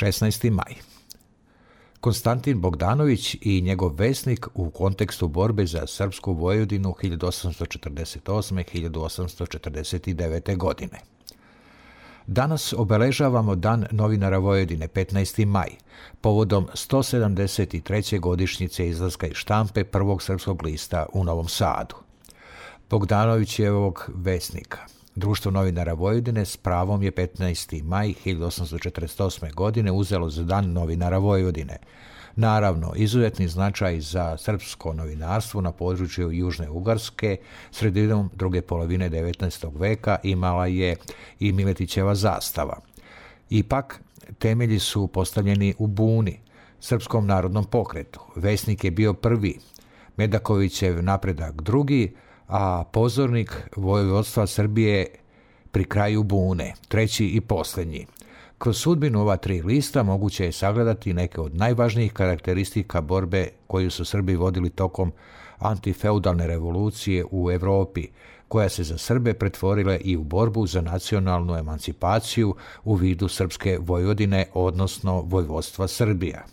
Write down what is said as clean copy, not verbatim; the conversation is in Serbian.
16. maj. Konstantin Bogdanović i njegov vesnik u kontekstu borbe za srpsku Vojvodinu 1848-1849. godine. Danas obeležavamo Dan novinara Vojvodine, 15. maj, povodom 173. godišnjice izlaska iz štampe prvog srpskog lista u Novom Sadu. Bogdanovićevog vesnika. Društvo novinara Vojvodine s pravom je 15. maj 1848. godine uzelo za Dan novinara Vojvodine. Naravno, izuzetni značaj za srpsko novinarstvo na području Južne Ugarske sredinom druge polovine 19. veka imala je i Miletićeva zastava. Ipak, temelji su postavljeni u Buni, Srpskom narodnom pokretu. Vesnik je bio prvi, Medakovićev Napredak drugi, a pozornik vojvodstva Srbije pri kraju Bune, treći i posljednji. Kroz sudbinu ova tri lista moguće je sagledati neke od najvažnijih karakteristika borbe koju su Srbi vodili tokom antifeudalne revolucije u Evropi, koja se za Srbe pretvorila i u borbu za nacionalnu emancipaciju u vidu srpske Vojvodine, odnosno vojvodstva Srbija.